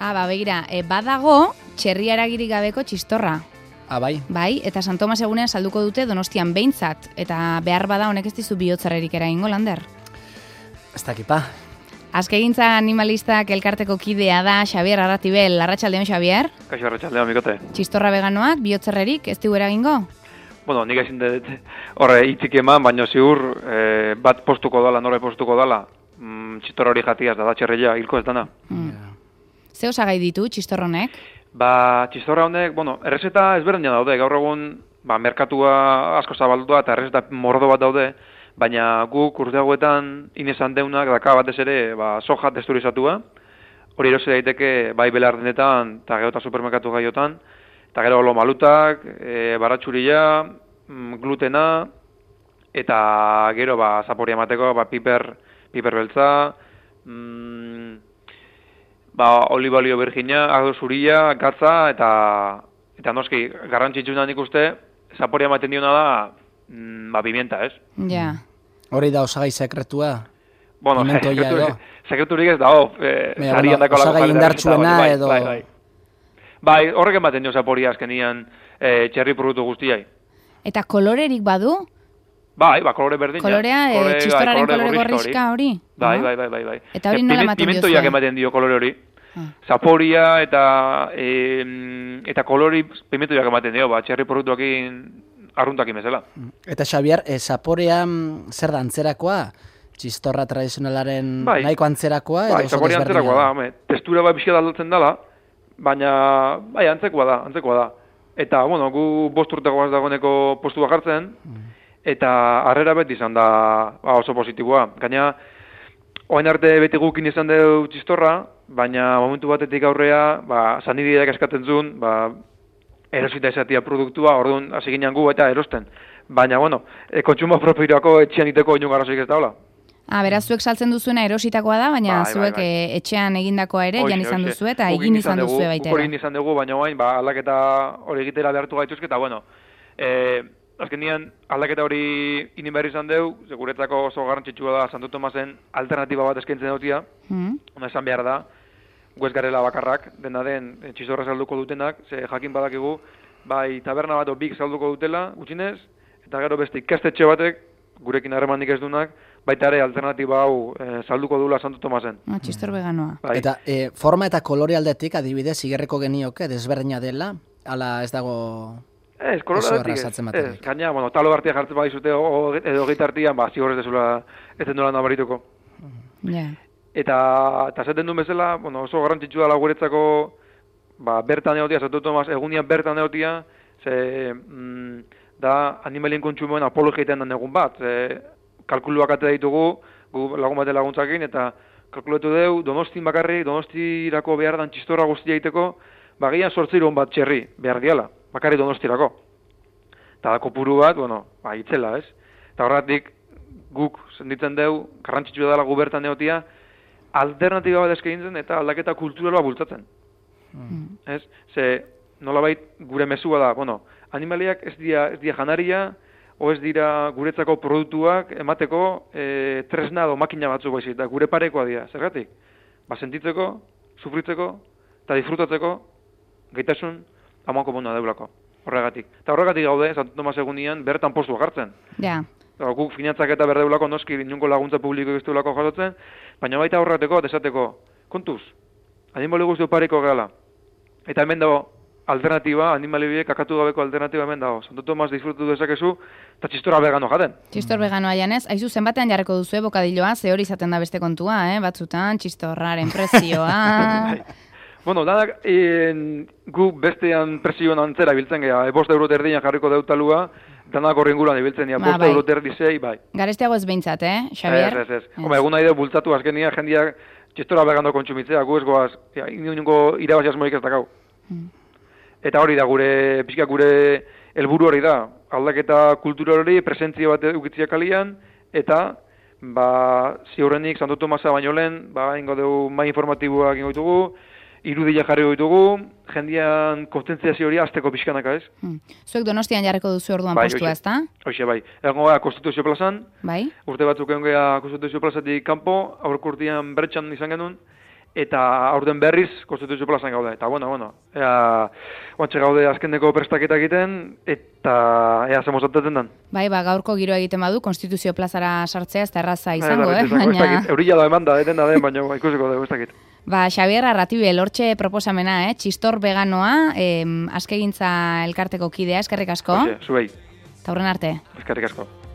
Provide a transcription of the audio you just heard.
Begira, badago txerria eragirik gabeko txistorra. Bai. Bai, eta San Tomas egunean salduko dute Donostian behintzat, eta behar bada honek ez dizu bihotzarrerik eragingo, Lander? Ez dakipa. Azkegintza animalistak elkarteko kidea da Xabier Arratibel. Arratsaldeon, Xabier? Kaixo, arratsaldeon, mikote. Txistorra veganoak bihotzarrerik ez digu eragingo? Bueno, nik ezin dut horre hitzik eman, baina ziur bat postuko dala, nore postuko dala, txistorra hori jatiaz da txerreia, hilko ez dana. Ze osagai ditu txistorronek? Txistorra honek, errezeta ezberdina daude, gaur egun, merkatua asko zabaldua eta errezeta mordo bat daude, baina guk urte hauetan inezan deunak daka batez ere soja testurizatua, hori erosi daiteke bai belardenetan eta gero eta supermerkatu gaiotan, eta gero lomalutak, baratxuria, glutena, eta gero zaporia emateko piper beltza, oliba olio virginia, ardo zuria, gatza, eta noski, garrantzitsuna nik uste, zaporia ematen diona da, pimienta, ez? Ja. Hori da osagai sekretua? Bueno, sekreturik ez da, osagai indartsuena edo... Bai, horrek ematen dio zaporia azkenian txerri produktu guztiai. Eta kolorerik badu? Bai, kolore berdina. Kolorea, txistorraren kolore gorrizka hori? Bai. Eta hori nola ematen dio zuen? Pimentoiak ematen dio kolore hori. Zaporia eta kolori pimentoiak ematen dio, txerri produktuakin arruntakin bezala. Eta Xabier, zaporea zer da antzerakoa? Txistorra tradizionalaren nahiko antzerakoa? Bai, zaporea antzerakoa da, testura bizia aldatzen dela, baina antzekoa da. Eta, gu 5 urteko dagoeneko postua jartzen, eta harrera beti izan da oso positiboa. Gaina, orain arte beti gukin izan dugu txistorra, baina momentu batetik aurrea, sanideak eskatzen zuen, erosita esatia produktua, orduan hasi ginen gu eta erosten. Baina, kontsumo propioako etxean iteko inun garrazoik ez daula. Beraz, zuek saltzen duzuena erositakoa da, baina zuek etxean egindakoa ere, jan izan duzu eta egin izan duzu baitera. Hori izan dugu, baina orain, aldaketa hori egitera behartu gaituzke, eta azkenean aldaketa hori inin behar izan dugu, guretzako oso garrantzitsua da Santo Tomasen alternatiba bat eskaintzen dutia, ona esan behar da, gu ez garela bakarrak, dena den txistorra salduko dutenak, ze jakin badakigu, bai taberna bat bik salduko dutela, gutxinez, eta gero beste ikastetxe batek, gurekin harremanik ez dunak, baita ere alternatiba hau salduko dula Santo Tomasen. Txistor veganoa. Eta forma eta kolore aldetik, adibidez, igerreko genioke, desberdina dela, ala ez dago... Ez, kolore aldetik ez. Gaina, talo hartia jartzen badizute, edo gitartian, zigorrez dezula ez den dola nabarituko. Eta zaten duen bezala, oso garrantzitsua dela guretzako bertan egotia, Santo Tomas egunian bertan egotia, da animalien kontsumoen apologia egiten den egun bat. Kalkuluak ate ditugu, lagun bate laguntzakin, eta kalkulatu dugu, Donostin bakarri, Donostirako behar dan txistorra guztia egiteko, gian 8 bat txerri behar diala, bakarri Donostirako. Eta kopuru bat, itzela, ez? Eta horretik, guk senditzen dugu, garrantzitsua dela gu bertan egotia, alternatiba bat eskaintzen eta aldaketa kulturala bultzatzen. Ez? Ze, nolabait gure mezua da, animaliak ez dira janaria, o ez dira guretzako produktuak emateko tresna edo makina batzuk baizik, eta gure parekoa dira, zergatik? Sentitzeko, sufritzeko, eta disfrutatzeko, gaitasun, amoako bona deulako, horregatik. Eta horregatik gaude, Santo Tomas egunian, bertan postua jartzen. Guk finantzak eta berdeulako noski inungo laguntza publiko gizteulako jasotzen, baina baita horreteko, desateko, kontuz, animali guztu pareko gehala. Eta hemen dago, alternatiba, animalibiek kakatu gabeko alternatiba hemen dago. Santo Tomas disfrutu dezakezu, eta txistorra vegano jaten. Txistor veganoa janez, aizu zenbatean jarreko duzu bokadilloa, ze hori izaten da beste kontua, batzutan, txistorraren prezioa... Danak, gu bestean prezioan antzera biltzen geha, 5 euro terdian jarriko deutalua, danak horrenguran ibiltzen geha, 5 euro terdizei, bai. Garestiago ez behintzat, Xabier? Ez. Egun nahi bultzatu azkenia, jendeak txistorra vegano kontsumitzea, gu ez goaz, inungo irabazi asmorik ez dakau. Eta hori da, gure helburu hori da, aldaketa kultura hori, presentzia bat ukitzia kalian, eta, ziurrenik, Santo Tomasa baino lehen, ingo dugu mai informatiboak ingo ditugu, irudia jarri ditugu, jendean konstentziazio hori azteko pixkanaka, ez? Zuek Donostian jarriko duzu orduan postua, ez da? Hoxe, bai. Egon gara Konstituzio plazan, bai. Urte batzuk egon gara Konstituzio plazatik kanpo, aurko urtean bertxan izan genuen, eta aurten berriz konstituzio plazan gaude. Eta, oantxe gaude azkeneko prestaketa egiten, eta ea zemozatetzen den. Bai, gaurko giroa egiten badu, konstituzio plazara sartzea ez da erraza izango, baina... Eurilla da eman da, baina ikusiko dugu, ez dakit. Xabier Arratibel, hortxe proposamena, txistor veganoa, askegintza elkarteko kidea, eskerrik asko. Zubei. Eta horren arte. Eskerrik asko.